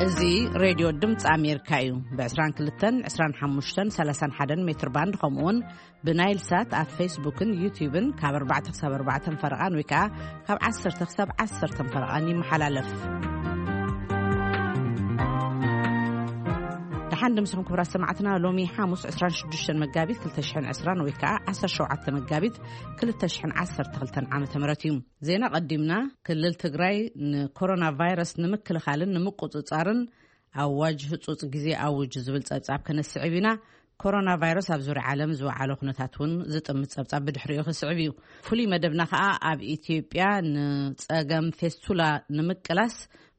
እዚ ሬድዮ ድምፂ ኣሜሪካ እዩ። ብ22፣ 25፣ 31 ሜትር ባንድ፣ ከምኡውን ብናይል ሳት ኣብ ፌስቡክን ዩቲዩብን ካብ ኣርባዕተ ክሳብ ኣርባዕተ ፈረቓን ወይ ከዓ ካብ ዓሰርተ ክሳብ ዓሰርተ ፈረቓን ይመሓላለፍ። ደሓን ድምስኹም ክቡራት ሰማዕትና። ሎሚ ሓሙስ 26 መጋቢት 2020 ወይ ከዓ 17 መጋቢት 2012 ዓመተ ምህረት እዩ። ዜና ቀዲምና። ክልል ትግራይ ንኮሮና ቫይረስ ንምክልኻልን ንምቁፅፃርን ኣዋጅ ህፁፅ ግዜ ኣውጅ ዝብል ፀብፃብ ከነስዕብ ኢና። ኮሮና ቫይረስ ኣብ ዙርያ ዓለም ዝወዓለ ኩነታት እውን ዝጥምት ፀብፃብ ብድሕሪኡ ክስዕብ እዩ። ፍሉይ መደብና ከዓ ኣብ ኢትዮጵያ ንፀገም ፌስቱላ ንምቅላስ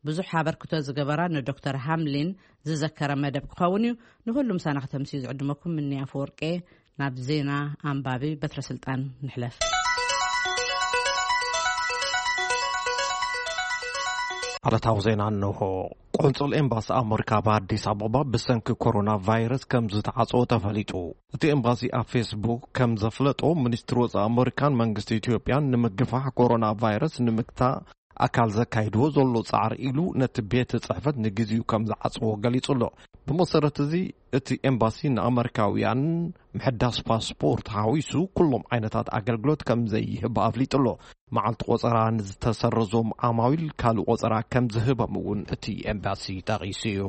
ብዙሕ ኣበርክቶ ዝገበራ ንዶክተር ሃምሊን ዝዘከረ መደብ ክኸውን እዩ። ንኩሉ ምሳና ከተምስዩ ዝዕድመኩም ምንያ ኣፈወርቄ። ናብ ዜና ኣንባቢ በትረ ስልጣን ንሕለፍ። ዓለታዊ ዜና እንሆ። ቆንጽል ኤምባሲ ኣመሪካ ኣብ ኣዲስ ኣበባ ብሰንኪ ኮሮና ቫይረስ ከም ዝተዓጽወ ተፈሊጡ። እቲ ኤምባሲ ኣብ ፌስቡክ ከም ዘፍለጦ፣ ሚኒስትሪ ወጻኢ ኣመሪካን መንግስቲ ኢትዮጵያን ንምግፋሕ ኮሮና ቫይረስ ንምግታእ ኣካል ዘካይድዎ ዘሎ ጻዕሪ ኢሉ ነቲ ቤት ጽሕፈት ንግዜኡ ከም ዝዓጽዎ ገሊጹ ኣሎ። ብመሰረት እዚ፣ እቲ ኤምባሲ ንኣመሪካውያን ምሕዳስ ፓስፖርት ሓዊሱ ኩሎም ዓይነታት ኣገልግሎት ከም ዘይህብ ኣፍሊጡ ኣሎ። መዓልቲ ቆጸራ ንዝተሰረዞም ዓማዊል ካልእ ቆጸራ ከም ዝህቦም እውን እቲ ኤምባሲ ጠቒሱ እዩ።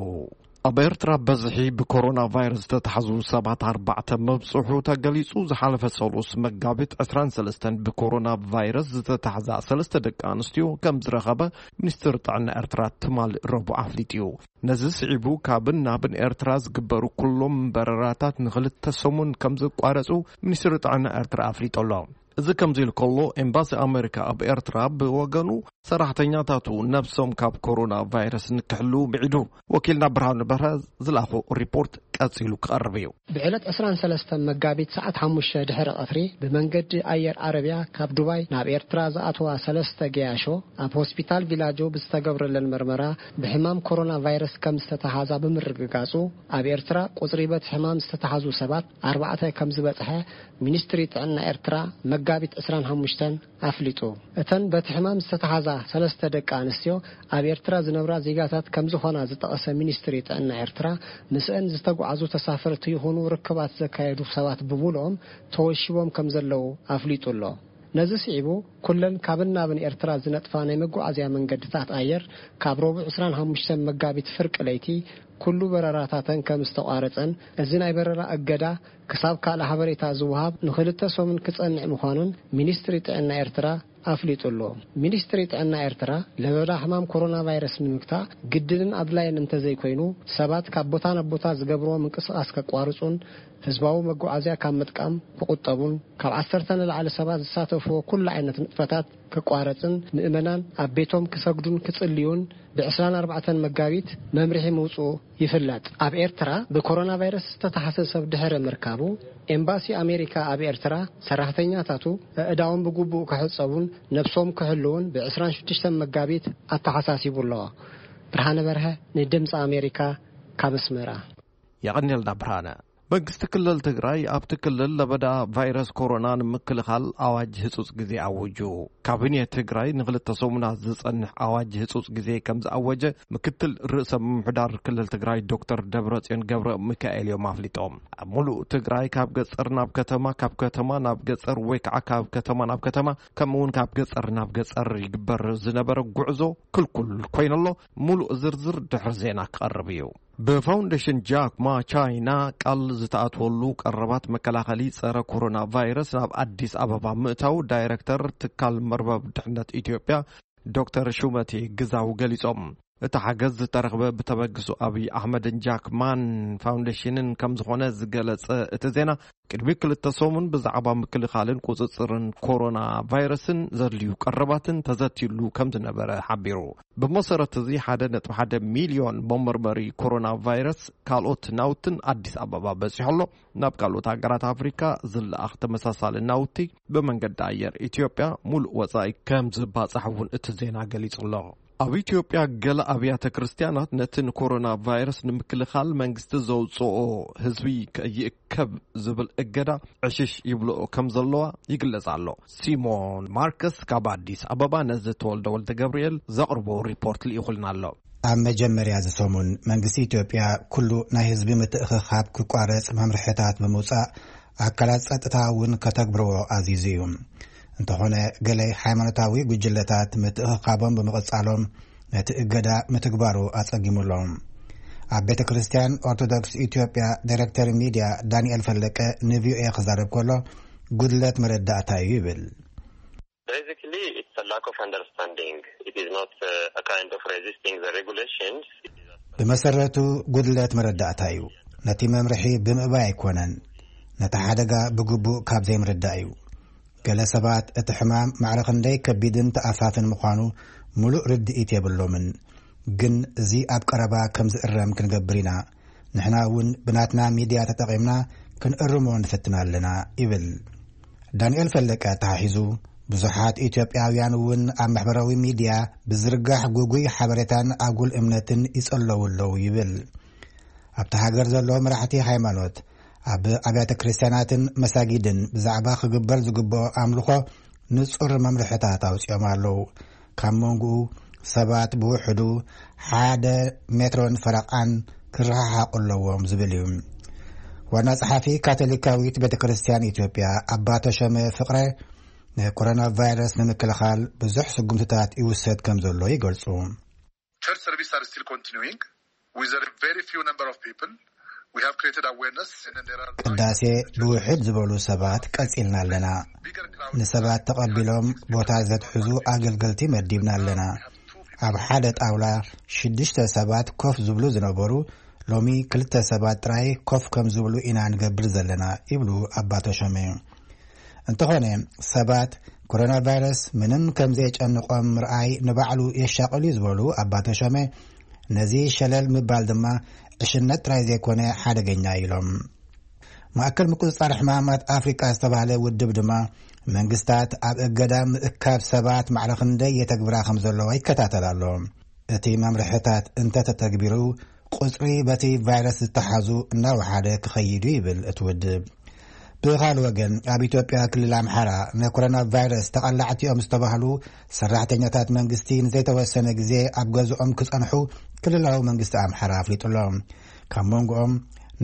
ኣብ ኤርትራ በዝሒ ብኮሮና ቫይረስ ዝተታሕዙ ሰባት ኣርባዕተ መብጽሑ ተገሊጹ። ዝሓለፈ ሰሉስ መጋቢት 23 ብኮሮና ቫይረስ ዝተታሕዛ ሰለስተ ደቂ ኣንስትዮ ከም ዝረኸበ ሚኒስትሪ ጥዕና ኤርትራ ትማል ረቡዕ ኣፍሊጡ እዩ። ነዚ ስዒቡ ካብን ናብን ኤርትራ ዝግበሩ ኩሎም በረራታት ንኽልተ ሰሙን ከም ዝቋረጹ ሚኒስትሪ ጥዕና ኤርትራ ኣፍሊጡ ኣሎ። እዚ ከምዚ ኢሉ ከሎ፣ ኤምባሲ ኣመሪካ ኣብ ኤርትራ ብወገኑ ሰራሕተኛታቱ ነብሶም ካብ ኮሮና ቫይረስ ንክሕልዉ ምዒዱ። ወኪልና ብርሃኑ በርሀ ዝለኣኾ ሪፖርት ቀጺሉ ክቐርብ እዩ። ብዕለት 23 መጋቢት ሰዓት ሓሙሽተ ድሕሪ ቀትሪ ብመንገዲ ኣየር ዓረብያ ካብ ዱባይ ናብ ኤርትራ ዝኣተዋ ሰለስተ ገያሾ ኣብ ሆስፒታል ቪላጆ ብዝተገብረለን መርመራ ብሕማም ኮሮና ቫይረስ ከም ዝተተሓዛ ብምርግጋጹ፣ ኣብ ኤርትራ ቁጽሪ በቲ ሕማም ዝተተሓዙ ሰባት ኣርባዕተ ከም ዝበጽሐ ሚኒስትሪ ጥዕና ኤርትራ መጋቢት 25 ኣፍሊጡ። እተን በቲ ሕማም ዝተተሓዛ ሰለስተ ደቂ ኣንስትዮ ኣብ ኤርትራ ዝነብራ ዜጋታት ከም ዝኾና ዝጠቐሰ ሚኒስትሪ ጥዕና ኤርትራ፣ ምስአን ዝተጓዓዙ ተሳፈርቲ ይኹኑ ርክባት ዘካየዱ ሰባት ብምሉኦም ተወሺቦም ከም ዘለዉ ኣፍሊጡ ኣሎ። ነዚ ስዒቡ፣ ኩለን ካብን ናብን ኤርትራ ዝነጥፋ ናይ መጓዓዝያ መንገድታት ኣየር ካብ ረቡዕ 25 መጋቢት ፍርቂ ለይቲ ኩሉ በረራታተን ከም ዝተቋረጸን፣ እዚ ናይ በረራ እገዳ ክሳብ ካልእ ሓበሬታ ዝወሃብ ንክልተ ሰሙን ክጸንዕ ምዃኑን ሚኒስትሪ ጥዕና ኤርትራ ኣፍሊጡ ኣሎ። ሚኒስትሪ ጥዕና ኤርትራ፣ ለበዳ ሕማም ኮሮና ቫይረስ ንምግታእ ግድንን ኣድላይን እንተዘይኮይኑ፣ ሰባት ካብ ቦታ ናብ ቦታ ዝገብርዎ ምንቅስቓስ ከቋርጹን ህዝባዊ መጓዓዝያ ካብ ምጥቃም ክቑጠቡን፣ ካብ ዓሰርተ ንላዕሊ ሰባት ዝሳተፍዎ ኩሉ ዓይነት ንጥፈታት ክቋረጽን፣ ምእመናን ኣብ ቤቶም ክሰግዱን ክጽልዩን ብ24 መጋቢት መምርሒ ምውጽኡ ይፍለጥ። ኣብ ኤርትራ ብኮሮና ቫይረስ ዝተታሕዘ ሰብ ድሕሪ ምርካቡ፣ ኤምባሲ ኣሜሪካ ኣብ ኤርትራ ሰራሕተኛታቱ ኣእዳዎም ብግቡእ ክሕጸቡን ነብሶም ክሕልዉን ብ26 መጋቢት ኣተሓሳሲቡ ኣሎ። ብርሃነ በርሀ፣ ንድምፂ ኣሜሪካ፣ ካብ ኣስመራ። የቐንየልና ብርሃነ። መንግስቲ ክልል ትግራይ ኣብቲ ክልል ለበዳ ቫይረስ ኮሮና ንምክልኻል ኣዋጅ ህጹጽ ግዜ ኣውጁ። ካቢኔ ትግራይ ንክልተ ሰሙናት ዝጸንሕ ኣዋጅ ህጹጽ ግዜ ከም ዝኣወጀ ምክትል ርእሰ ምምሕዳር ክልል ትግራይ ዶክተር ደብረጽዮን ገብረ ሚካኤል እዮም ኣፍሊጦም። ኣብ ሙሉእ ትግራይ ካብ ገጠር ናብ ከተማ፣ ካብ ከተማ ናብ ገጠር ወይ ከዓ ካብ ከተማ ናብ ከተማ፣ ከምኡ እውን ካብ ገጠር ናብ ገጠር ይግበር ዝነበረ ጉዕዞ ክልኩል ኮይነሎ። ሙሉእ ዝርዝር ድሕሪ ዜና ክቐርብ እዩ። ብፋውንዴሽን ጃክ ማ ቻይና ቃል ዝተኣትወሉ ቀረባት መከላኸሊ ጸረ ኮሮና ቫይረስ ናብ ኣዲስ ኣበባ ምእታው ዳይረክተር ትካል መርበብ ድሕነት ኢትዮጵያ ዶክተር ሹመቴ ግዛው ገሊጾም። እቲ ሓገዝ ዝተረኽበ ብተበግሶ ኣብይ ኣሕመድን ጃክ ማን ፋውንዴሽንን ከም ዝኾነ ዝገለጸ እቲ ዜና፣ ቅድሚ ክልተ ሰሙን ብዛዕባ ምክልኻልን ቁጽጽርን ኮሮና ቫይረስን ዘድልዩ ቀረባትን ተዘትዩሉ ከም ዝነበረ ሓቢሩ። ብመሰረት እዚ፣ 1.1 ሚልዮን መመርመሪ ኮሮና ቫይረስ ካልኦት ናውትን ኣዲስ ኣበባ በጺሑ ኣሎ። ናብ ካልኦት ሃገራት ኣፍሪካ ዝለኣኽ ተመሳሳሊ ናውቲ ብመንገዲ ኣየር ኢትዮጵያ ሙሉእ ወጻኢ ከም ዝባጻሕ እውን እቲ ዜና ገሊጹ ኣሎ። ኣብ ኢትዮጵያ ገለ ኣብያተ ክርስቲያናት ነቲ ንኮሮና ቫይረስ ንምክልኻል መንግስቲ ዘውፅኦ ህዝቢ ከይእከብ ዝብል እገዳ ዕሽሽ ይብልኦ ከም ዘለዋ ይግለጽ ኣሎ። ሲሞን ማርከስ ካብ ኣዲስ ኣበባ ነዚ ተወልደ ወልደ ገብርኤል ዘቕርቦ ሪፖርት ልኢኹልና ኣሎ። ኣብ መጀመርያ እዚ ሰሙን መንግስቲ ኢትዮጵያ ኩሉ ናይ ህዝቢ ምትእኽኻብ ክቋረጽ መምርሕታት ብምውጻእ ኣካላት ጸጥታ እውን ከተግብርዎ ኣዚዙ እዩ። እንተኾነ ገለ ሃይማኖታዊ ጉጅለታት ምትእኽኻቦም ብምቕጻሎም ነቲ እገዳ ምትግባሩ ኣጸጊሙሎም። ኣብ ቤተ ክርስቲያን ኦርቶዶክስ ኢትዮጵያ ዳይሬክተር ሚድያ ዳንኤል ፈለቀ ንቪኦኤ ክዛረብ ከሎ ጉድለት መረዳእታ እዩ ይብል። Basically, it's a lack of understanding. It is not uh, a kind of resisting the regulations. It is a ብመሰረቱ ጉድለት መረዳእታ እዩ። ነቲ መምርሒ ብምእባይ ኣይኮነን፣ ነቲ ሓደጋ ብግቡእ ካብ ዘይምርዳእ እዩ። ገለ ሰባት እቲ ሕማም ማዕረ ክንደይ ከቢድን ተኣፋፍን ምዃኑ ምሉእ ርድኢት የብሎምን። ግን እዚ ኣብ ቀረባ ከም ዝእረም ክንገብር ኢና። ንሕና እውን ብናትና ሚድያ ተጠቒምና ክንእርሞ ንፍትን ኣለና ይብል። ዳንኤል ፈለቀ ኣተሓሒዙ፣ ብዙሓት ኢትዮጵያውያን እውን ኣብ ማሕበራዊ ሚድያ ብዝርጋሕ ጉጉይ ሓበሬታን ኣጉል እምነትን ይጸለዉ ኣለዉ ይብል። ኣብቲ ሃገር ዘለዉ መራሕቲ ሃይማኖት ኣብ ኣብያተ ክርስቲያናትን መሳጊድን ብዛዕባ ክግበር ዝግብኦ ኣምልኾ ንጹር መምርሕታት ኣውጺኦም ኣለዉ። ካብ መንጎኡ ሰባት ብውሕዱ ሓደ ሜትሮን ፈረቓን ክረሓሓቑ ኣለዎም ዝብል እዩ። ዋና ጸሓፊ ካቶሊካዊት ቤተ ክርስቲያን ኢትዮጵያ ኣባ ተሾመ ፍቕረ ንኮሮና ቫይረስ ንምክልኻል ብዙሕ ስጉምትታት ይውሰድ ከም ዘሎ ይገልጹ። Church services are still continuing with a very few number of people. We have created awareness and there are ቅዳሴ ብውሕድ ዝበሉ ሰባት ቀጺልና ኣለና። ንሰባት ተቐቢሎም ቦታ ዘትሕዙ ኣገልገልቲ መዲብና ኣለና። ኣብ ሓደ ጣውላ ሽዱሽተ ሰባት ኮፍ ዝብሉ ዝነበሩ ሎሚ ክልተ ሰባት ጥራይ ኮፍ ከም ዝብሉ ኢና ንገብር ዘለና ይብሉ ኣባ ተሾመ። እንተኾነ ሰባት ኮሮና ቫይረስ ምንም ከም ዘየጨንቖም ምርኣይ ንባዕሉ የሻቕል እዩ ዝበሉ ኣባ ተሾመ፣ ነዚ ሸለል ምባል ድማ ዕሽነት ጥራይ ዘይኮነ ሓደገኛ ኢሎም። ማእከል ምቁጽጻር ሕማማት ኣፍሪቃ ዝተባህለ ውድብ ድማ መንግስታት ኣብ እገዳ ምእካብ ሰባት ማዕረ ክንደይ የተግብራ ከም ዘለዋ ይከታተል ኣሎ። እቲ መምርሕታት እንተተተግቢሩ ቁጽሪ በቲ ቫይረስ ዝተሓዙ እናወሓደ ክኸይዱ ይብል እቲ ውድብ። ብኻል ወገን ኣብ ኢትዮጵያ ክልል ኣምሓራ ንኮሮና ቫይረስ ተቐላዕቲ እዮም ዝተባህሉ ሰራሕተኛታት መንግስቲ ንዘይተወሰነ ግዜ ኣብ ገዝኦም ክጸንሑ ክልላዊ መንግስቲ ኣምሓራ ኣፍሊጡ ኣሎ። ካብ መንጎኦም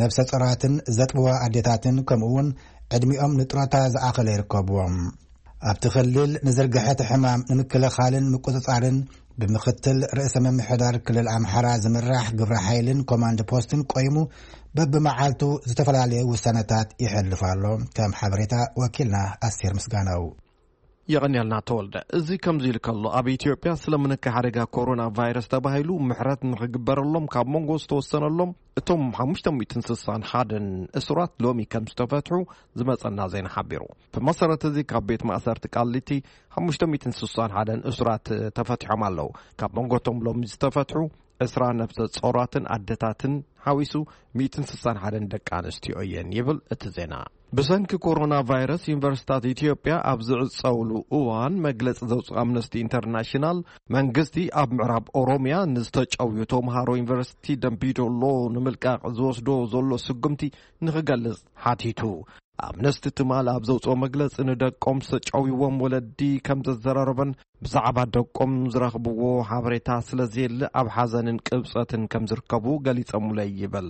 ነብሰ ጾራትን ዘጥብዋ ኣዴታትን ከምኡ እውን ዕድሚኦም ንጥሮታ ዝኣኸለ ይርከብዎም። ኣብቲ ክልል ንዝርግሐ እቲ ሕማም ንምክልኻልን ምቁጽጻርን ብምኽትል ርእሰ ምምሕዳር ክልል ኣምሓራ ዝምራሕ ግብረ ሓይልን ኮማንድ ፖስትን ቆይሙ በብመዓልቱ ዝተፈላለየ ውሳነታት ይሕልፍ ኣሎ። ከም ሓበሬታ ወኪልና ኣስቴር ምስጋናው። የቐንያልና ተወልደ። እዚ ከምዚ ኢሉ ከሎ ኣብ ኢትዮጵያ ስለምንካ ሓደጋ ኮሮና ቫይረስ ተባሂሉ ምሕረት ንኽግበረሎም ካብ መንጎ ዝተወሰነሎም እቶም ሓሙሽተ ሚእትን ስሳን ሓደን እሱራት ሎሚ ከም ዝተፈትሑ ዝመጸና ዜና ሓቢሩ። ብመሰረት እዚ ካብ ቤት ማእሰርቲ ቃሊቲ ሓሙሽተ ሚእትን ስሳን ሓደን እሱራት ተፈቲሖም ኣለዉ። ካብ መንጎቶም ሎሚ ዝተፈትሑ ዕስራ ነብሰ ጾራትን ኣደታትን ሓዊሱ ሚእትን ስሳን ሓደን ደቂ ኣንስትዮ እየን ይብል እቲ ዜና። ብሰንኪ ኮሮና ቫይረስ ዩኒቨርሲታት ኢትዮጵያ ኣብ ዝዕጸውሉ እዋን መግለጺ ዘውፅእ ኣምነስቲ ኢንተርናሽናል መንግስቲ ኣብ ምዕራብ ኦሮሚያ ንዝተጨውዩ ተምሃሮ ዩኒቨርሲቲ ደምቢዶሎ ንምልቃቕ ዝወስዶ ዘሎ ስጉምቲ ንክገልጽ ሓቲቱ። ኣምነስቲ ትማል ኣብ ዘውፅኦ መግለፂ ንደቆም ዝተጨውይዎም ወለዲ ከም ዘዘራረበን ብዛዕባ ደቆም ዝረኽብዎ ሓበሬታ ስለዘየለ ኣብ ሓዘንን ቅብፀትን ከም ዝርከቡ ገሊፀሙለይ ይብል።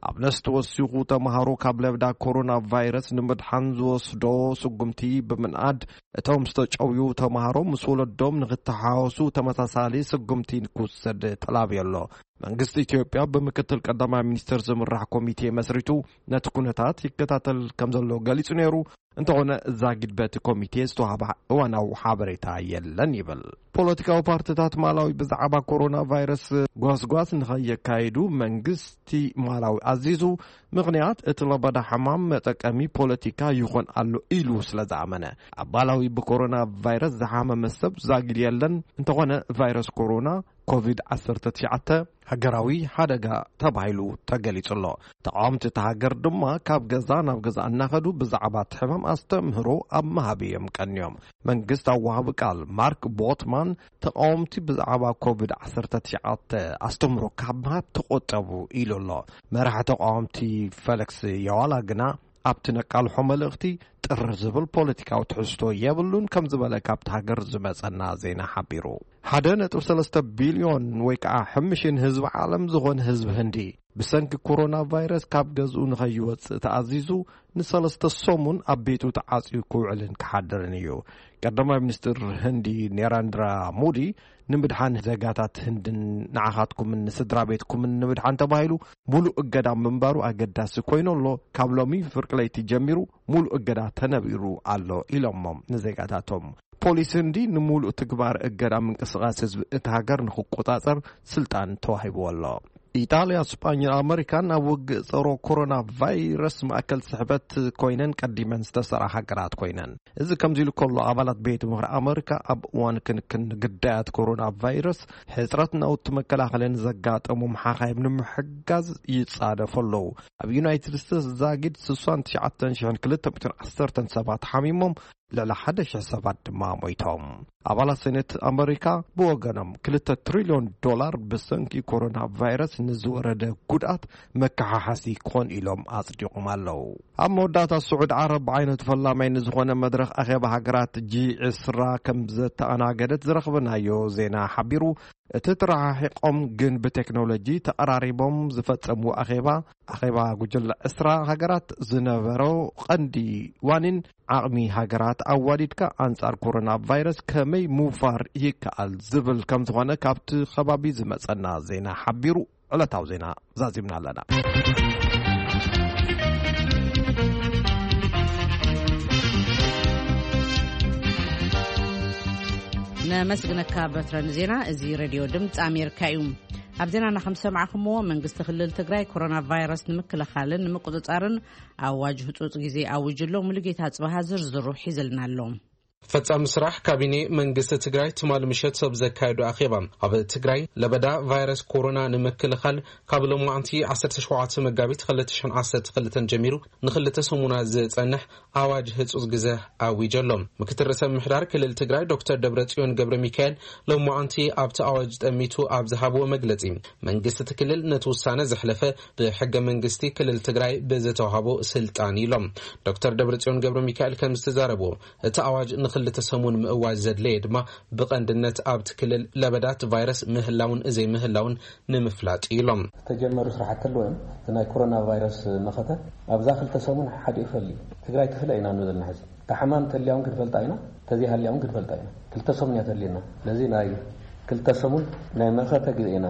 ኣምነስቲ ወሲኹ ተምሃሮ ካብ ለበዳ ኮሮና ቫይረስ ንምድሓን ዝወስዶ ስጉምቲ ብምንኣድ እቶም ዝተጨውዩ ተምሃሮ ምስ ወለዶም ንክተሓወሱ ተመሳሳሊ ስጉምቲ ክውሰድ ተላብዮ ኣሎ። መንግስቲ ኢትዮጵያ ብምክትል ቀዳማይ ሚኒስትር ዝምራሕ ኮሚቴ መስሪቱ ነቲ ኩነታት ይከታተል ከም ዘሎ ገሊጹ ነይሩ። እንተኾነ ዛጊድ በቲ ኮሚቴ ዝተዋህበ እዋናዊ ሓበሬታ የለን ይብል። ፖለቲካዊ ፓርቲታት ማላዊ ብዛዕባ ኮሮና ቫይረስ ጓስጓስ ንኸየካይዱ መንግስቲ ማላዊ ኣዚዙ። ምኽንያት እቲ ለበዳ ሕማም መጠቀሚ ፖለቲካ ይኾን ኣሎ ኢሉ ስለ ዝኣመነ ኣብ ማላዊ ብኮሮና ቫይረስ ዝሓመመ ሰብ ዛጊድ የለን። እንተኾነ ቫይረስ ኮሮና ኮቪድ ዓሰርተ ትሽዓተ ሃገራዊ ሓደጋ ተባሂሉ ተገሊጹ ኣሎ። ተቃወምቲ እቲ ሃገር ድማ ካብ ገዛ ናብ ገዛ እናኸዱ ብዛዕባ እቲ ሕማም ኣስተምህሮ ኣብ ምሃብ እዮም ቀንዮም። መንግስት ኣዋሃቢ ቃል ማርክ ቦትማን ተቃወምቲ ብዛዕባ ኮቪድ ዓሰርተ ትሽዓተ ኣስተምህሮ ካብ ምሃብ ተቆጠቡ ኢሉ ኣሎ። መራሒ ተቃወምቲ ፈለክስ የዋላ ግና ኣብቲ ነቃልሖ መልእኽቲ ጥር ዝብል ፖለቲካዊ ትሕዝቶ የብሉን ከም ዝበለ ካብቲ ሃገር ዝመጸና ዜና ሓቢሩ። ሓደ ነጥቢ ሰለስተ ቢልዮን ወይ ከዓ ሕምሽን ህዝቢ ዓለም ዝኾነ ህዝቢ ህንዲ ብሰንኪ ኮሮና ቫይረስ ካብ ገዝኡ ንኸይወጽእ ተኣዚዙ ንሰለስተ ሰሙን ኣብ ቤቱ ተዓጽዩ ክውዕልን ክሓድርን እዩ። ቀዳማይ ሚኒስትር ህንዲ ኔራንድራ ሞዲ ንምድሓን ዜጋታት ህንድን ንዓኻትኩምን ንስድራ ቤትኩምን ንምድሓን ተባሂሉ ሙሉእ እገዳ ምንባሩ ኣገዳሲ ኮይኑ ኣሎ። ካብ ሎሚ ፍርቂ ለይቲ ጀሚሩ ሙሉእ እገዳ ተነቢሩ ኣሎ ኢሎሞም ንዜጋታቶም። ፖሊስ ህንዲ ንሙሉእ ትግባር እገዳ ምንቅስቃስ ህዝቢ እቲ ሃገር ንክቆጻጸር ስልጣን ተዋሂብዎ ኣሎ። ኢጣልያ፣ ስጳኝን ኣመሪካን ኣብ ውግእ ጸሮ ኮሮና ቫይረስ ማእከል ስሕበት ኮይነን ቀዲመን ዝተሰራ ሃገራት ኮይነን። እዚ ከምዚ ኢሉ ከሎ ኣባላት ቤት ምኽሪ ኣመሪካ ኣብ እዋን ክንክን ግዳያት ኮሮና ቫይረስ ሕጽረት ናውቲ መከላኸልን ዘጋጠሞም ሓኻይም ንምሕጋዝ ይጻደፉ ኣለዉ። ኣብ ዩናይትድ ስቴትስ ዛጊድ ስሳን ትሽዓተን ሽሕን ክልተ ሚእትን ዓሰርተን ሰባት ሓሚሞም ልዕሊ ሓደ ሽሕ ሰባት ድማ ሞይቶም። ኣባላት ሴኔት ኣመሪካ ብወገኖም ክልተ ትሪልዮን ዶላር ብሰንኪ ኮሮና ቫይረስ ንዝወረደ ጉድኣት መከሓሓሲ ክኾን ኢሎም ኣጽዲቖም ኣለዉ። ኣብ መወዳእታ ስዑድ ዓረብ ብዓይነቱ ፈላማይ ንዝኾነ መድረኽ ኣኼባ ሃገራት ጂ ዕስራ ከም ዘተኣናገደት ዝረኽብናዮ ዜና ሓቢሩ። እቲ ተረሓሒቖም ግን ብቴክኖሎጂ ተቐራሪቦም ዝፈጸምዎ ኣኼባ፣ ኣኼባ ጉጅለ ዕስራ ሃገራት ዝነበሮ ቀንዲ ዋኒን ዓቕሚ ሃገራት ኣዋዲድካ ኣንጻር ኮሮና ቫይረስ ከመይ ምውፋር ይከኣል ዝብል ከም ዝኾነ ካብቲ ከባቢ ዝመጸና ዜና ሓቢሩ። ዕለታዊ ዜና ዛዚምና ኣለና። ነመስግነካ በትረ ንዜና። እዚ ሬድዮ ድምፂ ኣሜሪካ እዩ። ኣብ ዜናና ከም ሰማዕኹምዎ መንግስቲ ክልል ትግራይ ኮሮና ቫይረስ ንምክልኻልን ንምቁፅፃርን ኣዋጅ ህፁፅ ግዜ ኣዊጁ ኣሎ። ሙሉጌታ ፅባሃ ዝርዝሩ ሒዝልና ኣሎ። ፈጻሚ ስራሕ ካቢኔ መንግስቲ ትግራይ ትማሊ ምሸት ሰብ ዘካየዱ ኣኼባ ኣብ ትግራይ ለበዳ ቫይረስ ኮሮና ንምክልኻል ካብ ሎማዕንቲ ዓሰርተ ሸውዓተ መጋቢት ክልተ ሽሕን ዓሰርተ ክልተን ጀሚሩ ንክልተ ሰሙናት ዝጸንሕ ኣዋጅ ህጹጽ ግዘ ኣዊጀ ኣሎ። ምክትል ርእሰ ምምሕዳር ክልል ትግራይ ዶክተር ደብረጽዮን ገብረ ሚካኤል ሎማዕንቲ ኣብቲ ኣዋጅ ጠሚቱ ኣብ ዝሃብዎ መግለጺ፣ መንግስቲ እቲ ክልል ነቲ ውሳነ ዘሕለፈ ብሕገ መንግስቲ ክልል ትግራይ ብዝተዋህቦ ስልጣን ኢሎም። ዶክተር ደብረጽዮን ገብረ ሚካኤል ከም ዝተዛረብዎ፣ እቲ ኣዋጅ ንክልተ ሰሙን ምእዋጅ ዘድለየ ድማ ብቐንድነት ኣብቲ ክልል ለበዳት ቫይረስ ምህላውን ዘይምህላውን ንምፍላጥ ኢሎም። ዝተጀመሩ ስራሕቲ ኣለዉ እዮም። እቲ ናይ ኮሮና ቫይረስ መኸተ ኣብዛ ክልተ ሰሙን ሓዲኡ ፈሊ ትግራይ ትፍለ ኢና ንብል ዘለና። ሕዚ እታ ሓማም ተልያ እውን ክንፈልጣ ኢና፣ ተዘይሃልያ እውን ክንፈልጣ ኢና። ክልተ ሰሙን እያ ተልየና። ስለዚ ናይ ክልተ ሰሙን ናይ መኸተ ግዜ ኢና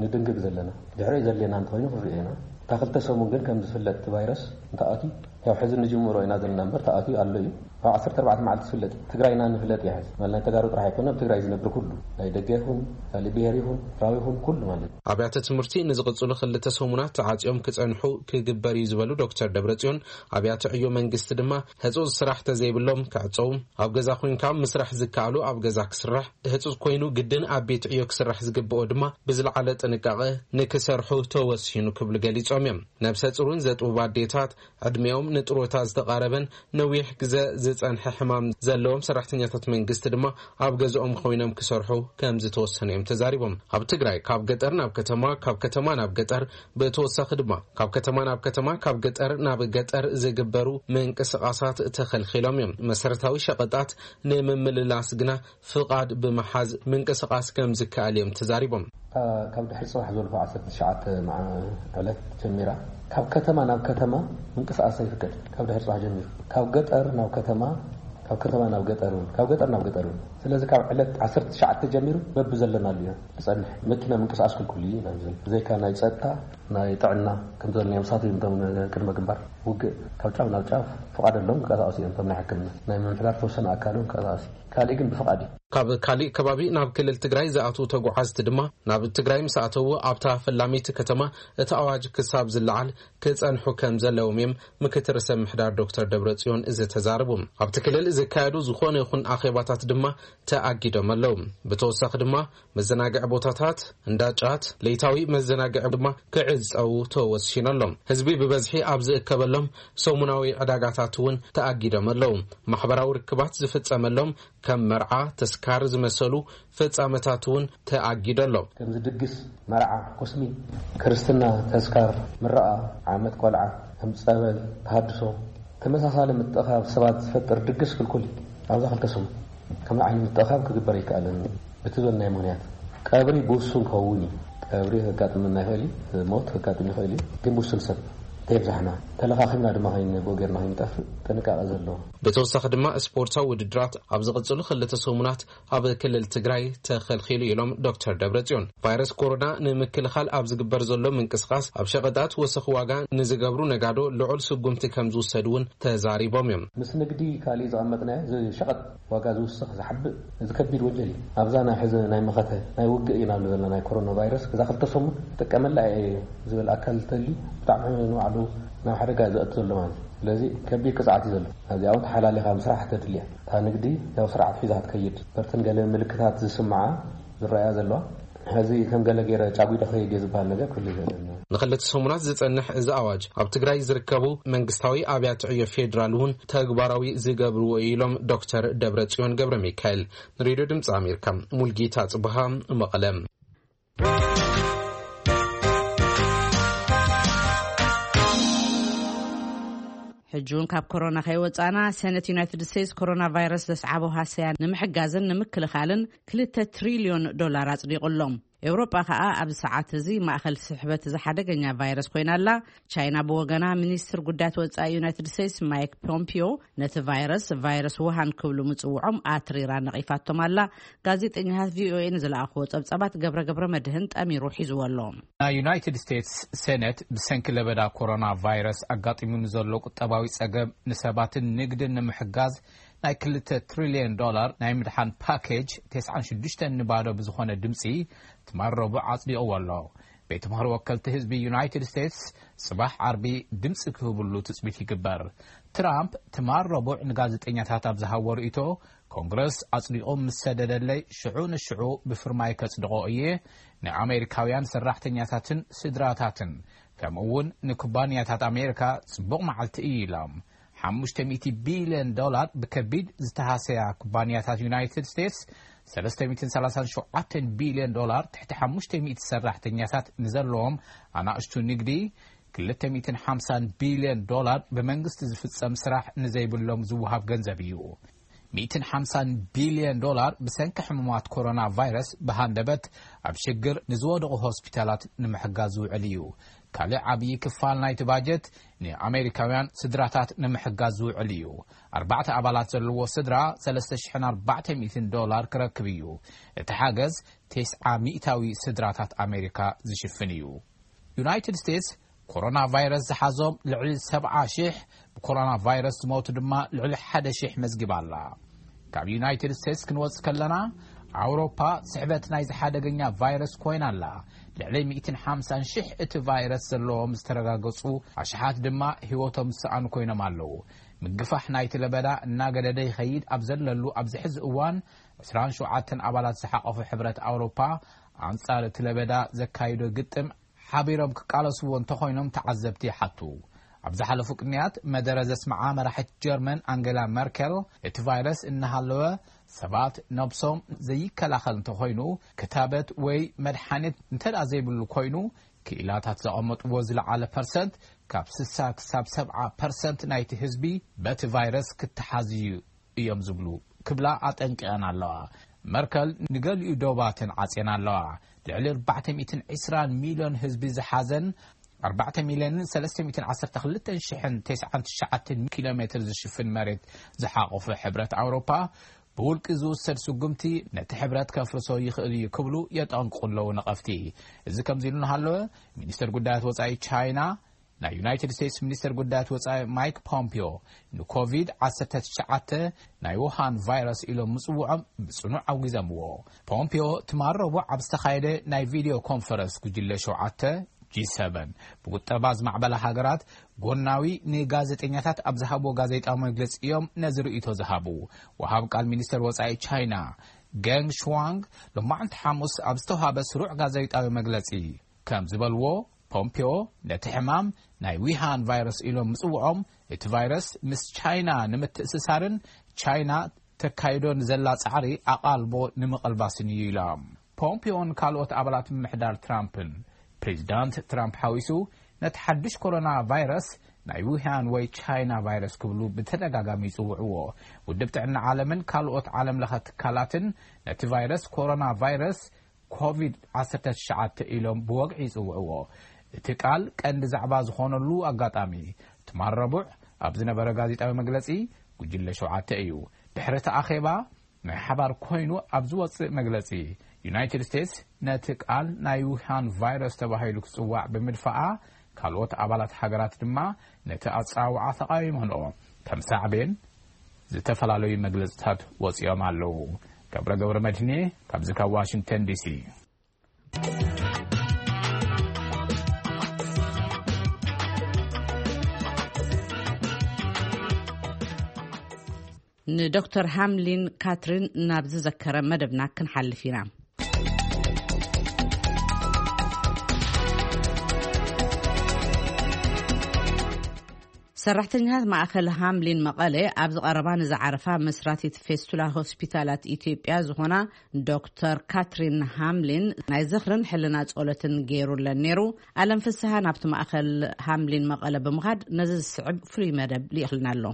ንድንግግ ዘለና። ድሕሪኡ ዘድልየና እንተኾይኑ ክንሪኦ ኢና። እታ ክልተ ሰሙን ግን ከም ዝፍለጥ እቲ ቫይረስ እንተኣትዩ፣ ያው ሕዚ ንጅምሮ ኢና ዘለና እምበር ተኣትዩ ኣሎ እዩ። ካብ ዓሰርተ ኣርባዕተ መዓልቲ ዝፍለጥ እዩ። ትግራይና ንፍለጥ እያ ሕዚ። ማለት ናይ ተጋሩ ጥራሕ ኣይኮነ፣ ኣብ ትግራይ ዝነብር ኩሉ፣ ናይ ደገ ይኹን፣ ካልእ ብሄር ይኹን፣ ኤርትራዊ ይኹን፣ ኩሉ ማለት እዩ። ኣብያተ ትምህርቲ ንዝቕጽሉ ክልተ ሰሙናት ተዓጽዮም ክጸንሑ ክግበር እዩ ዝበሉ ዶክተር ደብረጽዮን፣ ኣብያተ ዕዮ መንግስቲ ድማ ህጹጽ ስራሕ ተዘይብሎም ክዕጸዉ፣ ኣብ ገዛ ኮይንካ ምስራሕ ዝከኣሉ ኣብ ገዛ ክስራሕ፣ ህጹጽ ኮይኑ ግድን ኣብ ቤት ዕዮ ክስራሕ ዝግብኦ ድማ ብዝለዓለ ጥንቃቐ ንክሰርሑ ተወሲኑ ክብሉ ገሊጾም እዮም። ነብሰ ጹርን ዘጥቡብ ኣዴታት፣ ዕድሜኦም ንጥሮታ ዝተቓረበን ነዊሕ ግዘ ዝጸንሐ ሕማም ዘለዎም ሰራሕተኛታት መንግስቲ ድማ ኣብ ገዝኦም ኮይኖም ክሰርሑ ከም ዝተወሰነ እዮም ተዛሪቦም። ኣብ ትግራይ ካብ ገጠር ናብ ከተማ፣ ካብ ከተማ ናብ ገጠር፣ ብተወሳኺ ድማ ካብ ከተማ ናብ ከተማ፣ ካብ ገጠር ናብ ገጠር ዝግበሩ ምንቅስቓሳት ተኸልኺሎም እዮም። መሰረታዊ ሸቐጣት ንምምልላስ ግና ፍቓድ ብምሓዝ ምንቅስቓስ ከም ዝከኣል እዮም ተዛሪቦም። ካብ ድሕሪ ጽባሕ ዘልፎ ዓሰርተ ትሽዓተ መዓ-፣ ዕለት ጀሚራ ካብ ከተማ ናብ ከተማ ምንቅስቓስ ኣይፍቀድ። ካብ ድሕሪ ጽባሕ ጀሚሩ ካብ ገጠር ናብ ከተማ፣ ካብ ከተማ ናብ ገጠር እውን፣ ካብ ገጠር ናብ ገጠር እውን። ስለዚ ካብ ዕለት ዓሰርተ ትሽዓተ ጀሚሩ በብዘለናሉ ኢና ንጸንሕ። መኪና ምንቅስቓስ ክልኩል እዩ ኢና ንብል። ብዘይካ ናይ ጸጥታ፣ ናይ ጥዕና፣ ከም ዝበልናዮም ሳት እዮም እቶም ቅድመ ግንባር ውግእ። ካብ ጫፍ ናብ ጫፍ ፍቓድ ኣለዎም፣ ክንቀሳቐሱ እዮም። እቶም ናይ ሕክምና፣ ናይ ምምሕዳር ተወሰነ ኣካል እውን ክንቀሳቐስ እዩ። ካልእ ግን ብፍቓድ እዩ። ካብ ካልእ ከባቢ ናብ ክልል ትግራይ ዝኣትዉ ተጓዓዝቲ ድማ ናብ ትግራይ ምስ ኣተዉ ኣብታ ፈላሚት ከተማ እቲ ኣዋጅ ክሳብ ዝለዓል ክጸንሑ ከም ዘለዎም እዮም ምክትል ርእሰ ምምሕዳር ዶክተር ደብረጽዮን ዝተዛረቡ። ኣብቲ ክልል ዝካየዱ ዝኾነ ይኹን ኣኼባታት ድማ ተኣጊዶም ኣለዉ። ብተወሳኺ ድማ መዘናግዒ ቦታታት፣ እንዳ ጫት፣ ለይታዊ መዘናግዒ ድማ ክዕጸዉ ተወሲኑ ኣሎ። ህዝቢ ብበዝሒ ኣብ ዝእከበሎም ሰሙናዊ ዕዳጋታት እውን ተኣጊዶም ኣለዉ። ማሕበራዊ ርክባት ዝፍጸመሎም ከም መርዓ፣ ተስካር ዝመሰሉ ፍጻመታት እውን ተኣጊዱ ኣሎ። ከምዚ ድግስ፣ መርዓ፣ ኮስሚ፣ ክርስትና፣ ተስካር፣ ምረቓ፣ ዓመት ቆልዓ፣ ከም ጸበል፣ ተሃድሶ፣ ተመሳሳሊ ምጥኻብ ሰባት ዝፈጥር ድግስ ክልኩል እዩ። ኣብዛ ክልተ ሰሙን ከምዚ ዓይነት ምጥኻብ ክግበር ኣይከኣልን። እቲ ዝበልናዮ ምኽንያት ቀብሪ ብውሱን ክኸውን እዩ። ቀብሪ ከጋጥመና ይኽእል እዩ፣ ሞት ከጋጥም ይኽእል እዩ፣ ግን ብውሱን ሰብ ከየብዛሕና፣ ተለኻኺምና ድማ ከይን-፣ ብኡ ጌርና ከይንጠፍእ ጥንቃቐ ዘለዎ። ብተወሳኺ ድማ ስፖርታዊ ውድድራት ኣብ ዝቕጽሉ ክልተ ሰሙናት ኣብ ክልል ትግራይ ተኸልኪሉ ኢሎም ዶክተር ደብረጽዮን። ቫይረስ ኮሮና ንምክልኻል ኣብ ዝግበር ዘሎ ምንቅስቓስ ኣብ ሸቐጣት ወሰኽ ዋጋ ንዝገብሩ ነጋዶ ልዑል ስጉምቲ ከም ዝውሰድ እውን ተዛሪቦም እዮም። ምስ ንግዲ ካሊእ ዝቐመጥናዮ ሸቐጥ ዋጋ ዝውስኽ ዝሓብእ እዚ ከቢድ ወንጀል እዩ። ኣብዛ ናይ ሕዚ ናይ መኸተ ናይ ውግእ ኢና ንብሎ ዘለና ናይ ኮሮና ቫይረስ እዛ ክልተ ሰሙን ጥቀመላ እየ ዝብል ኣካል እንተልዩ ብጣዕሚ ንባዕሉ ናብ ሓደጋ እዩ ዘእቱ ዘሎ ማለት እዩ። ስለዚ ከቢድ ቅፅዓት እዩ ዘሎ። ኣብዚኣ እውን ተሓላሊኻ ምስራሕ ተድልያ እታ ንግዲ ያው ስርዓት ሒዛ ክትከይድ በርተን ገለ ምልክታት ዝስምዓ ዝረኣያ ዘለዋ ሕዚ ከም ገለ ገይረ ጫጒ ዶ ከይድ እየ ዝበሃል ነገር ክህሉ ይኽእል እዩ። ንክልተ ሰሙናት ዝጸንሕ እዚ ኣዋጅ ኣብ ትግራይ ዝርከቡ መንግስታዊ ኣብያተ ዕዮ ፌዴራል እውን ተግባራዊ ዝገብርዎ እዩ ኢሎም ዶክተር ደብረጽዮን ገብረ ሚካኤል ንሬድዮ ድምፂ ኣሜሪካ። ሙልጌታ ጽብሃ መቐለ። ሕጂ እውን ካብ ኮሮና ከይወፃእና፣ ሰነት ዩናይትድ ስቴትስ ኮሮና ቫይረስ ዘስዓቦ ሃሰያ ንምሕጋዝን ንምክልኻልን ክልተ ትሪልዮን ዶላር ኣፅዲቑ ኣሎ። ኤውሮጳ ከኣ ኣብዚ ሰዓት እዚ ማእኸል ስሕበት እዚ ሓደገኛ ቫይረስ ኮይና ኣላ። ቻይና ብወገና፣ ሚኒስትር ጉዳያት ወጻኢ ዩናይትድ ስቴትስ ማይክ ፖምፒዮ ነቲ ቫይረስ፣ ቫይረስ ውሃን ክብሉ ምጽውዖም ኣትሪራ ነቒፋቶም ኣላ። ጋዜጠኛታት ቪኦኤ ንዝለኣኽዎ ጸብጻባት ገብረ ገብረ መድህን ጠሚሩ ሒዝዎ ኣሎ። ናይ ዩናይትድ ስቴትስ ሴኔት ብሰንኪ ለበዳ ኮሮና ቫይረስ ኣጋጢሙ ንዘሎ ቁጠባዊ ጸገም ንሰባትን ንግድን ንምሕጋዝ ናይ ክልተ ትሪልዮን ዶላር ናይ ምድሓን ፓኬጅ ተስዓን ሽዱሽተን ንባዶ ብዝኾነ ድምፂ ትማል ረቡዕ ኣጽዲቕዎ ኣሎ። ቤት ምኽሪ ወከልቲ ህዝቢ ዩናይትድ ስቴትስ ጽባሕ ዓርቢ ድምፂ ክህብሉ ትጽቢት ይግበር። ትራምፕ ትማል ረቡዕ ንጋዜጠኛታት ኣብ ዝሃቦ ርእይቶ፣ ኮንግረስ ኣጽዲቑ ምስ ሰደደለይ ሽዑ ንሽዑ ብፍርማይ ከጽድቖ እየ፣ ንኣሜሪካውያን ሰራሕተኛታትን ስድራታትን ከምኡ እውን ንኩባንያታት ኣሜሪካ ጽቡቕ መዓልቲ እዩ ኢሎም። ሓሙሽተ ሚእቲ ቢልዮን ዶላር ብከቢድ ዝተሃሰያ ኩባንያታት ዩናይትድ ስቴትስ ሰለስተ ሚእትን ሰላሳን ሸውዓተን ቢልዮን ዶላር ትሕቲ ሓሙሽተ ሚእቲ ሰራሕተኛታት ንዘለዎም ኣናእሽቱ ንግዲ ክልተ ሚእትን ሓምሳን ቢልዮን ዶላር ብመንግስቲ ዝፍጸም ስራሕ ንዘይብሎም ዝወሃብ ገንዘብ እዩ። ሚእትን ሓምሳን ቢልዮን ዶላር ብሰንኪ ሕሙማት ኮሮና ቫይረስ ብሃንደበት ኣብ ሽግር ንዝወደቑ ሆስፒታላት ንምሕጋዝ ዝውዕል እዩ። ካልእ ዓብዪ ክፋል ናይቲ ባጀት ንኣሜሪካውያን ስድራታት ንምሕጋዝ ዝውዕል እዩ። ኣርባዕተ ኣባላት ዘለዎ ስድራ ሰለስተ ሽሕን ኣርባዕተ ሚእትን ዶላር ክረክብ እዩ። እቲ ሓገዝ ተስዓ ሚእታዊ ስድራታት ኣሜሪካ ዝሽፍን እዩ። ዩናይትድ ስቴትስ ኮሮና ቫይረስ ዝሓዞም ልዕሊ ሰብዓ ሽሕ ብኮሮና ቫይረስ ዝሞቱ ድማ ልዕሊ ሓደ ሽሕ መዝጊባ ኣላ። ካብ ዩናይትድ ስቴትስ ክንወጽእ ከለና፣ ኣውሮፓ ስሕበት ናይዚ ሓደገኛ ቫይረስ ኮይና ኣላ። ልዕሊ ሚእትን ሓምሳን ሽሕ እቲ ቫይረስ ዘለዎም ዝተረጋገጹ ኣሽሓት ድማ ህይወቶም ዝሰኣኑ ኮይኖም ኣለዉ። ምግፋሕ ናይቲ ለበዳ እናገደደ ይኸይድ ኣብ ዘለሉ ኣብዚ ሕዚ እዋን፣ ዕስራን ሸውዓተን ኣባላት ዝሓቐፉ ሕብረት ኣውሮፓ ኣንጻር እቲ ለበዳ ዘካይዶ ግጥም ሓቢሮም ክቃለስዎ እንተኾይኖም ተዓዘብቲ ይሓቱ። ኣብ ዝሓለፉ ቅንያት መደረ ዘስምዓ መራሒት ጀርመን ኣንገላ መርከል፣ እቲ ቫይረስ እናሃለወ ሰባት ነብሶም ዘይከላኸል እንተኾይኑ፣ ክታበት ወይ መድሓኒት እንተ ደኣ ዘይብሉ ኮይኑ፣ ክኢላታት ዘቐመጥዎ ዝለዓለ ፐርሰንት፣ ካብ ስሳ ክሳብ ሰብዓ ፐርሰንት ናይቲ ህዝቢ በቲ ቫይረስ ክተሓዝ እዩ እዮም ዝብሉ ክብላ ኣጠንቂቐን ኣለዋ። መርከል ንገሊኡ ዶባትን ዓጽየን ኣለዋ። ልዕሊ ኣርባዕተ ሚእትን ዕስራን ሚልዮን ህዝቢ ዝሓዘን ኣርባዕተ ሚልዮንን ሰለስተ ሚእትን ዓሰርተ ክልተን ሽሕን ተስዓን ትሽዓተን ኪሎ ሜትር ዝሽፍን መሬት ዝሓቖፈ ሕብረት ኣውሮፓ፣ ብውልቂ ዝውሰድ ስጉምቲ ነቲ ሕብረት ከፍርሶ ይኽእል እዩ ክብሉ የጠንቅቑ ኣለዉ ነቐፍቲ። እዚ ከምዚ ኢሉ እናሃለወ፣ ሚኒስተር ጉዳያት ወጻኢ ቻይና፣ ናይ ዩናይትድ ስቴትስ ሚኒስተር ጉዳያት ወጻኢ ማይክ ፖምፒዮ ንኮቪድ ዓሰርተ ትሽዓተ ናይ ውሃን ቫይረስ ኢሎም ምጽውዖም ብጽኑዕ ኣውጊዘምዎ። ፖምፒዮ ትማል ረቡዕ ኣብ ዝተኻየደ ናይ ቪድዮ ኮንፈረንስ ጉጅለ ሸውዓተ፣ ጂ ሰቨን፣ ብቁጠባ ዝማዕበላ ሃገራት ጎናዊ ንጋዜጠኛታት ኣብ ዝሃብዎ ጋዜጣዊ መግለጺ እዮም ነዚ ርእይቶ ዝሃቡ። ወሃብ ቃል ሚኒስተር ወጻኢ ቻይና ገንግ ሽዋንግ ሎማዕንቲ ሓሙስ ኣብ ዝተውሃበ ስሩዕ ጋዜጣዊ መግለጺ ከም ዝበልዎ፣ ፖምፒዮ ነቲ ሕማም ናይ ዊሃን ቫይረስ ኢሎም ምጽውዖም፣ እቲ ቫይረስ ምስ ቻይና ንምትእስሳርን ቻይና ተካይዶ ንዘላ ጻዕሪ ኣቓልቦ ንምቕልባስን እዩ ኢሎም። ፖምፒዮን ካልኦት ኣባላት ምምሕዳር ትራምፕን፣ ፕሬዚዳንት ትራምፕ ሓዊሱ፣ ነቲ ሓድሽ ኮሮና ቫይረስ ናይ ውሃን ወይ ቻይና ቫይረስ ክብሉ ብተደጋጋሚ ይጽውዕዎ። ውድብ ጥዕና ዓለምን ካልኦት ዓለም ለኸ ትካላትን ነቲ ቫይረስ ኮሮና ቫይረስ ኮቪድ ዓሰርተ ትሽዓተ ኢሎም ብወግዒ ይጽውዕዎ። እቲ ቃል ቀንዲ ዛዕባ ዝኾነሉ ኣጋጣሚ ትማል ረቡዕ ኣብ ዝነበረ ጋዜጣዊ መግለጺ፣ ጉጅለ ሸውዓተ እዩ። ድሕሪ እቲ ኣኼባ ናይ ሓባር ኮይኑ ኣብ ዝወጽእ መግለጺ፣ ዩናይትድ ስቴትስ ነቲ ቃል ናይ ውሃን ቫይረስ ተባሂሉ ክጽዋዕ ብምድፋኣ፣ ካልኦት ኣባላት ሃገራት ድማ ነቲ ኣጸዋውዓ ተቓዊመንኦ። ከም ሳዕቤን ዝተፈላለዩ መግለጽታት ወጺኦም ኣለዉ። ገብረ ገብረ መድህኔ ካብዚ ካብ ዋሽንግተን ዲሲ። ንዶክተር ሃምሊን ካትሪን ናብ ዝዘከረ መደብና ክንሓልፍ ኢና። ሰራሕተኛታት ማእኸል ሃምሊን መቐለ ኣብ ዝቐረባ ንዝዓረፋ መስራቲት ፌስቱላ ሆስፒታላት ኢትዮጵያ ዝኾና ዶክተር ካትሪን ሃምሊን ናይ ዝኽርን ሕልና ጸሎትን ገይሩለን ነይሩ። ኣለም ፍስሃ ናብቲ ማእኸል ሃምሊን መቐለ ብምኻድ ነዚ ዝስዕብ ፍሉይ መደብ ልኢኽልና ኣሎ።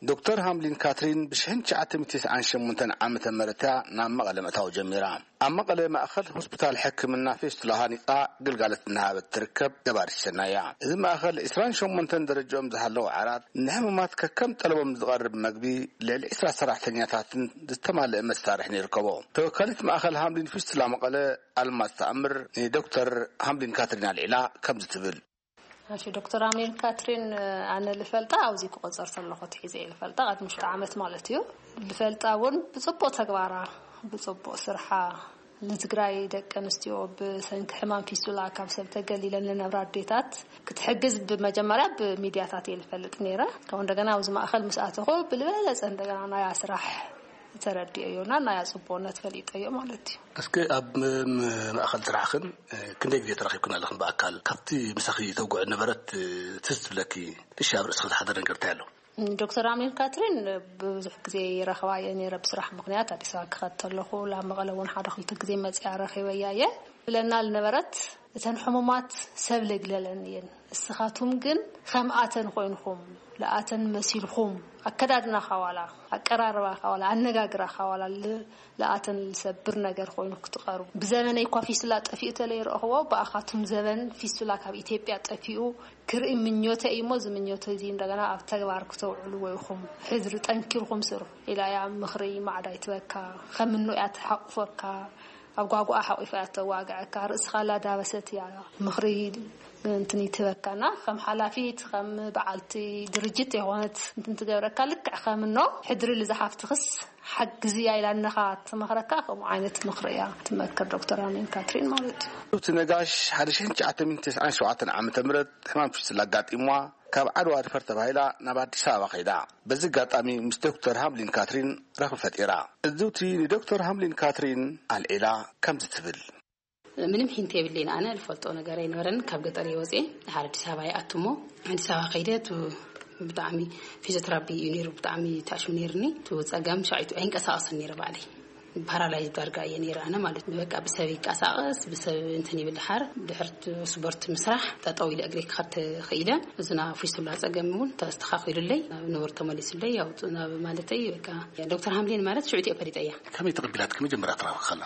ዶክተር ሃምሊን ካትሪን ብ ሽሕን ትሽዓተ ሚእትን ትስዓን ሸሞንተን ዓመተ ምህረት እያ ናብ መቐለ ምእታው ጀሚራ። ኣብ መቐለ ማእኸል ሆስፒታል ሕክምና ፌስቱላ ሃኒጻ ግልጋሎት እናሃበት ትርከብ ነባሪት ሰናይ እያ። እዚ ማእኸል ዕስራን ሸሞንተን ደረጃኦም ዝሃለዉ ዓራት፣ ንሕሙማት ከከም ጠለቦም ዝቐርብ መግቢ፣ ልዕሊ ዕስራ ሰራሕተኛታትን ዝተማልአ መሳርሕን ይርከቦ። ተወካሊት ማእኸል ሃምሊን ፌስቱላ መቐለ ኣልማዝ ተኣምር ንዶክተር ሃምሊን ካትሪን ኣልዒላ ከምዚ ትብል። እሺ፣ ዶክተር ኣሜን ካትሪን፣ ኣነ ልፈልጣ ኣብዚ ክቆጸር ዘለኹ ትሒዘ እየ ልፈልጣ፣ ቅድሚ ሽዱሽተ ዓመት ማለት እዩ። ልፈልጣ እውን ብጽቡቕ ተግባራ፣ ብጽቡቕ ስርሓ፣ ንትግራይ ደቂ ኣንስትዮ ብሰንኪ ሕማም ፊስቱላ ካብ ሰብ ተገሊለን ልነብራ ኣዴታት ክትሕግዝ ብመጀመርያ ብሚድያታት እየ ልፈልጥ ነይረ። ከምኡ እንደገና ኣብዚ ማእኸል ምስ ኣተኹ ብልበለጸ እንደገና ናያ ስራሕ ተረዲኦዮና ናያ ጽቡቕነት ፈሊጠዮ ማለት እዩ። እስኪ ኣብ ም-፣ ማእኸል ስራሕኽን፣ እ፣ ክንደይ ግዜ ተራኺብክን ኣለኽን ብኣካል? ካብቲ ምሳኺ ተውግዑ ነበረት፣ እ፣ ትዝ ትብለኪ፣ እሺ፣ ኣብ ርእስኺ ዝሓደረ ነገር እንታይ ኣሎ? ዶክተር ኣሜን ካትሪን ብዙሕ ግዜ ይረኽባ እየ ነይረ፣ ብስራሕ ምኽንያት ኣዲስ ኣበባ ክኸድ ተለኹ፣ ላብ መቐለ እውን ሓደ ክልተ ግዜ መፅያ ረኺበያ እየ። ብለና ልነበረት፣ እተን ሕሙማት ሰብ ለግለለን እየን፣ እስኻቱም ግን ከምኣተን ኮይንኹም፣ ለኣተን መሲልኩም፣ ኣከዳድናኻ ዋላ፣ ኣቀራርባኻ ዋላ፣ ኣነጋግራኻ ዋላ ል-፣ ለኣተን ልሰብር ነገር ኮይኑ ክትቐርቡ። ብዘመነይ እኳ ፊስላ ጠፊኡ ተለይረእኽዎ፣ ብኣኻቱም ዘበን ፊስቱላ ካብ ኢትዮጵያ ጠፊኡ ክርኢ ምኞተ እዩ እሞ፣ እዚ ምኞተ እዚ እንደገና ኣብ ተግባር ክተውዕልዎ ኢኹም። ሕድሪ ጠንኪርኩም ስርሑ ኢላ እያ ምኽሪ ማዕዳ ይትበካ። ከም ምኖ እያ ትሓቁፈካ። ኣብ ጓጉኣ ሓቂፋ እያ ተዋግዐካ። ርእስኻ ላዳበሰት እያ ምኽሪ እንትን ይትበካና። ከም ሓላፊት፣ ከም በዓልቲ ድርጅት የኾነት እንትን ትገብረካ። ልክዕ ከም ምኖ ሕድሪ ልዝሓፍትኽስ ሓግዝያ ኢላ እነኻ ትመኽረካ። ከምኡ ዓይነት ምኽሪ እያ ትመክር ዶክተር ኣሜን ካትሪን ማለት እዩ። እቲ ነጋሽ ሓደ ሽሕን ትሽዓተ ሚእትን ተስዓን ሸውዓተን ዓመተ ምህረት ሕማም ፊስቱላ ኣጋጢምዋ ካብ ዓድዋ ሪፈር ተባሂላ ናብ ኣዲስ ኣበባ ከይዳ። በዚ ኣጋጣሚ ምስ ዶክተር ሃምሊን ካትሪን ረኽቢ ፈጢራ። እዝውቲ ንዶክተር ሃምሊን ካትሪን ኣልዒላ ከምዚ ትብል። ምንም ሒንት የብለይን። ኣነ ልፈልጦ ነገር ኣይነበረን። ካብ ገጠር እየ ወፅየ፣ ድሓር ኣዲስ ኣበባ ይኣቱ እሞ፣ ኣዲስ ኣበባ ከይደ፣ እቱ ብጣዕሚ ፊዚዮቴራፒ እዩ ነይሩ፣ ብጣዕሚ ተኣሽሙ ነይርኒ። እቱ ፀገም ሻዒቱ ኣይንቀሳቐስን ነይረ ባዕለይ። ፓራላይዝ ዳርጋ እየ ነይረ ኣነ ማለት እዩ። በቃ ብሰብ ይቀሳቐስ፣ ብሰብ እንትን ይብል። ድሓር ድሕር ስፖርት ምስራሕ ጠጠው ኢለ እግረይ ክኸድ ተኽኢለ። እዝና ፊስቱላ ፀገም እውን ተስተኻኺሉለይ፣ ናብ ንቡር ተመሊሱለይ። ያው ናብ ማለተይ በቃ ዶክተር ሃምሊን ማለት ሽዑ እየ ፈሊጠያ። ከመይ ተቐቢላትኪ መጀመርያ ትራኸብኪ ከላ?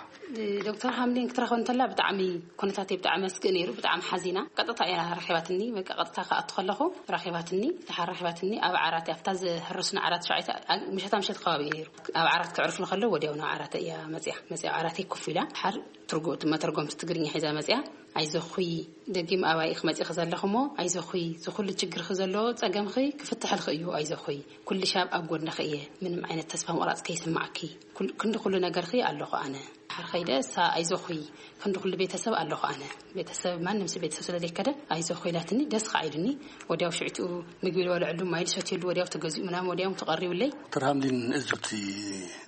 ዶክተር ሃምሊን ክትረኽበኒ እንተላ ብጣዕሚ ኩነታተይ ብጣዕሚ ኣስግእ ነይሩ፣ ብጣዕሚ ሓዚና። ቀጥታ እያ ረኺባትኒ፣ በቃ ቀጥታ ክኣቱ ከለኹ ረኺባትኒ፣ ድሓር ረኺባትኒ ኣብ ዓራት፣ ኣብታ ዝህረስና ዓራት ሸውዓተ፣ ምሸታ ምሸት ከባቢ እዩ ነይሩ። ኣብ ዓራት ከዕርፉ ከለዉ ወዲያው ናብ ዓራት እያ መፅያ። መፅያ ኣብ ዓራተይ ኮፍ ኢላ፣ ድሓር ትርጉ-፣ መተርጎምቲ ትግርኛ ሒዛ መፅያ። "ኣይዞኺ፣ ደጊም ኣባይ ኢኺ መፂኺ ዘለኺ እሞ፣ ኣይዞኺ፣ እዚ ኩሉ ችግርኺ ዘለዎ ፀገምኺ ክፍትሐልኺ እዩ፣ ኣይዞኺ፣ ኩሉ ሻብ ኣብ ጎንኺ እየ፣ ምንም ዓይነት ተስፋ ምቑራፅ ከይስማዕኪ፣ ኩል-፣ ክንዲ ኩሉ ነገርኺ ኣለኹ ኣነ." ድሓር ኸይደ እሳ፣ "ኣይዞኺ፣ ክንዲ ኩሉ ቤተሰብ ኣለኹ ኣነ፣ ቤተሰብ፣ ማንም ሰብ ቤተሰብ ስለ ዘይከደ ኣይዞኺ" ኢላትኒ፣ ደስ ከዓ ኢሉኒ። ወዲያው ሽዕትኡ ምግቢ ዝበልዐሉ፣ ማይ ዝሰትየሉ ወዲያው ተገዚኡ ምናምን ወዲያው ተቐሪቡለይ። ዶክተር ሃምሊን እዙቲ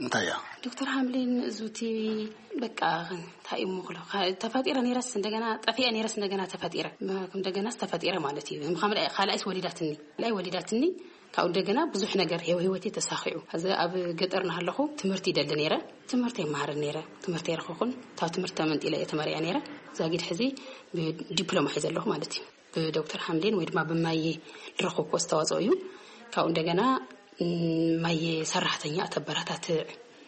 እንታይ እያ? ዶክተር ሃምሊን እዙቲ በቃ እንታይ እሞ ክሎ፣ ተፈጢረ ነይረስ እንደገና ጠፊአ ነይረስ እንደገና ተፈጢረ። እንደገናስ ተፈጢረ ማለት እዩ። ከም ካልኣይስ ወሊዳትኒ። ካልኣይ ወሊዳትኒ፣ ካብኡ እንደገና ብዙሕ ነገር ህይወ-፣ ህይወቴ ተሳኺዑ። ሕዚ ኣብ ገጠር እናሃለኹ ትምህርቲ ይደሊ ነይረ። ትምህርቲ ይመሃር ነይረ። ትምህርቲ ኣይረኸኹን። ካብ ትምህርቲ ተመንጢለ እየ ተመሪዐ ነይረ። ዛጊድ ሕዚ ብዲፕሎማ እየ ዘለኹ ማለት እዩ። ብዶክተር ሓምዴን ወይ ድማ ብማየ ዝረኸብኩ ኣስተዋፅኦ እዩ። ካብኡ እንደገና ማየ ሰራሕተኛ ኣተበረታትዕ።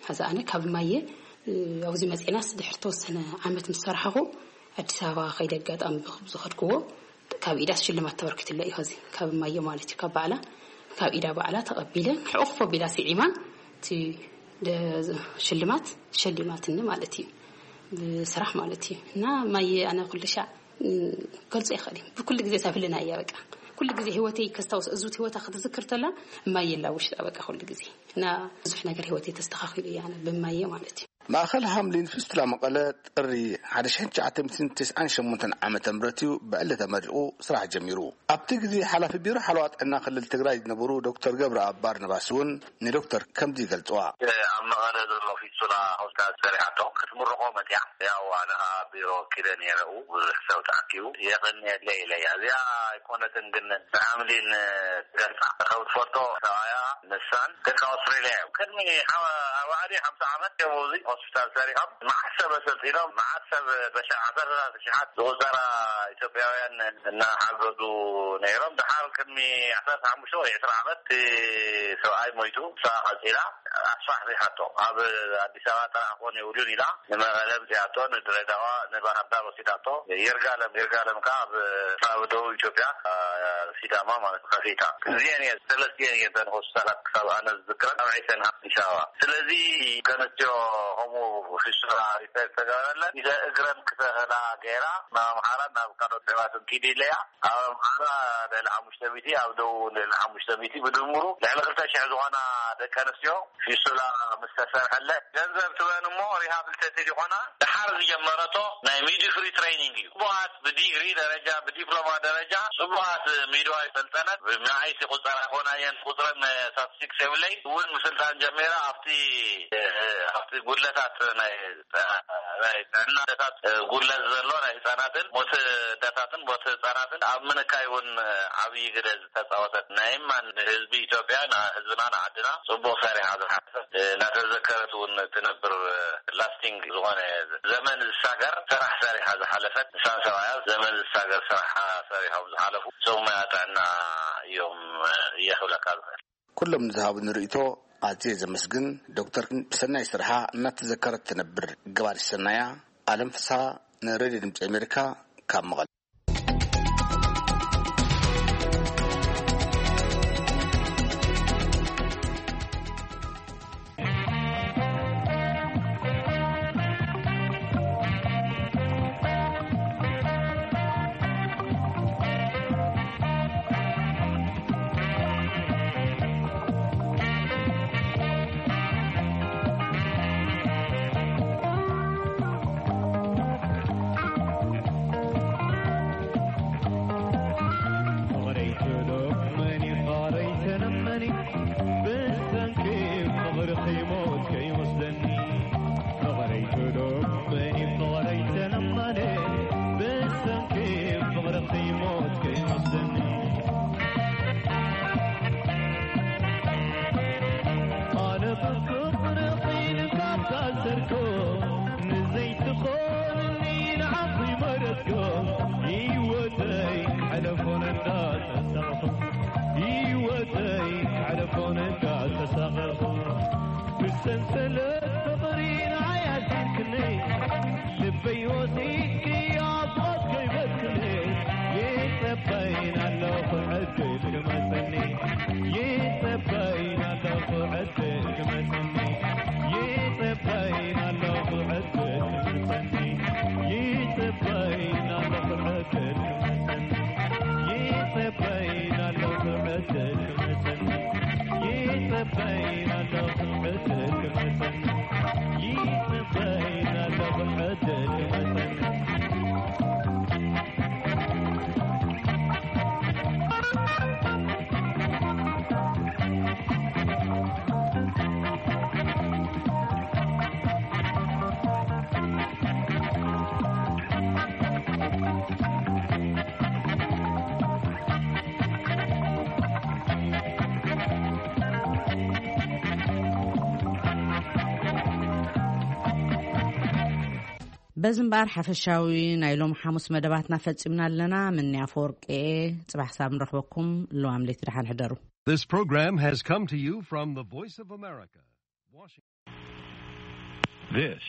ሐዚ ኣነ ካብ ማየ ኣብዚ መፂናስ ድሕሪ ተወሰነ ዓመት ምስ ሰራሕኹ ኣዲስ ኣበባ ከይደ ኣጋጣሚ ብዝኸድክዎ ካብ ኢዳስ ሽልማት ተበርኪትለ እዩ። ዚ ካብ ማየ ማለት እዩ። ካብ ባዕላ ካብ ኢዳ ባዕላ ተቐቢለ ሕቆፎ ቢላ ስዒማ እቲ ሽልማት ሸሊማትኒ ማለት እዩ። ብስራሕ ማለት እዩ። እና ማየ ኣነ ኩሉ ሻዕ ገልጾ ይኽእል እዩ። ብኩሉ ግዜ ሳፍልና እያ በቃ። ኩሉ ግዜ ህይወተይ ከስታውስ እዙት ህይወታ ክትዝክር ተላ ማየ ላ ውሽጣ በቃ ኩሉ ግዜ። እና ብዙሕ ነገር ህይወተይ ተስተኻኺሉ እያ ኣነ ብማየ ማለት እዩ። ማእኸል ሃምሊን ፊስቱላ መቐለ ጥሪ ሓደ ሺሕ ትሽዓተ ሚእትን ተስዓን ሸሞንተን ዓመተ ምህረት እዩ ብዕሊ ተመሪቑ ስራሕ ጀሚሩ። ኣብቲ ግዜ ሓላፊ ቢሮ ሓለዋ ጥዕና ክልል ትግራይ ዝነበሩ ዶክተር ገብረኣብ ባርናባስ እውን ንዶክተር ከምዚ ይገልፅዋ። ኣብ መቐለ ዘሎ ፊስቱላ ሆስፒታል ሰሪሓቶ ክትምርቆ መፅያ። ያው ኣነ ቢሮ ኪደ ነይረኡ ብዙሕ ሰብ ተኣኪቡ የቐንየለይ ኢለያ። እዚኣ ኣይኮነትን ግን ንሓምሊን ትገልፃ። ከም ትፈልጦ ሰብኣያ ንሳን ደቂ ኣውስትሬልያ እዮም። ቅድሚ ሓ- ኣርባዓ ድዩ ሓምሳ ዓመት እዮም ኣብዚ ሆስፒታል ሰሪሖም። መዓት ሰብ ኣሰልጢኖም፣ መዓት ሰብ በሻ ዓሰርተ ሽሓት ዝቑጸራ ኢትዮጵያውያን እናሓገዙ ነይሮም። ድሓር ቅድሚ ዓሰርተ ሓሙሽተ ወይ ዕስራ ዓመት እቲ ሰብኣይ ሞይቱ፣ እሳ ቀጺላ ኣስፋሕፊሓቶ። ኣብ ኣዲስ ኣበባ ጥራሕ ክኾን የብሉን ኢላ ንመቐለ ኣምጺኣቶ፣ ንድሬዳዋ፣ ንባህር ዳር ወሲዳቶ። ይርጋለም፣ ይርጋለም ከኣ ኣብ ኣብ ደቡብ ኢትዮጵያ፣ አ፣ ሲዳማ ማለት ከፊታ። እዚአን እየን፣ ሰለስቲአን እየን እተን ሆስፒታላት ክሳብ ኣነ ዝዝክረን ኣብ ዒሰን ኣዲስ ኣበባ። ስለዚ ከነስትዮ ከምኡ ፊስቱላ ሪፈር ተገበረለን፣ ኢለ እግረን ክተኸላ ገይራ ናብ ኣምሓራ ናብ ካልኦት ጸባትን ኪዲ ኢለያ። ኣብ ኣምሓራ ልዕሊ ሓሙሽተ ሚእቲ፣ ኣብ ደቡብ ልዕሊ ሓሙሽተ ሚእቲ፣ ብድምሩ ልዕሊ ክልተ ሽሕ ዝኾና ደቂ ኣንስትዮ ፊስቱላ ምስ ተሰርሐለ ገንዘብ ትበን እሞ ሪሃብሊቴትድ ይኾና። ድሓር ዝጀመረቶ ናይ ሚድፍሪ ትሬኒንግ እዩ። ጽቡቓት ብዲግሪ ደረጃ፣ ብዲፕሎማ ደረጃ ጽቡቓት ሚድዋይ ሰልጠነት ብመዓይት ይቑጸራ ይኾና እየን። ቁጽረን ስታቲስቲክስ የብለይ እውን ምስልጣን ጀሚራ ኣብቲ፣ ኣብቲ ጉድለታት ናይ፣ ናይ ጥዕና ጉድለት ዘሎ ናይ ህጻናትን ሞት ኣደታትን ሞት ህጻናትን ኣብ ምንካይ እውን ዓብዪ ግደ ዝተጻወተት ናይ ማን ንህዝቢ ኢትዮጵያ፣ ንህዝብና፣ ንዓድና ጽቡቕ ሰሪሓ ዝሓለፈት፣ እናተዘከረት እውን ትነብር፣ ላስቲንግ ዝኾነ ዘመን ዝሳገር ስራሕ ሰሪሓ ዝሓለፈት ንሳን ሰብኣያ ዘመን ዝሳገር ስራሕ ሰሪሖም ዝሓለፉ ሰብ ሞያ ጥዕና እዮም እየ ክብለካ ዝኽእል። ኩሎም ንዝሃቡኒ ርእይቶ ኣዝየ ዘመስግን ዶክተር ሰናይ ስርሓ እናተዘከረት ትነብር ገባሪ ሰናያ። ኣለም ፍስሃ ንሬድዮ ድምፂ ኣሜሪካ ካብ መቐለ። በዚ እምበኣር ሓፈሻዊ ናይ ሎም ሓሙስ መደባትና ፈጺምና ኣለና። ምንያ ኣፈወርቂ እየ። ጽባሕ ሳብ ንረኽበኩም። ለዋም ለይቲ ደሓን ሕደሩ። This program has come to you from the Voice of America, Washington. This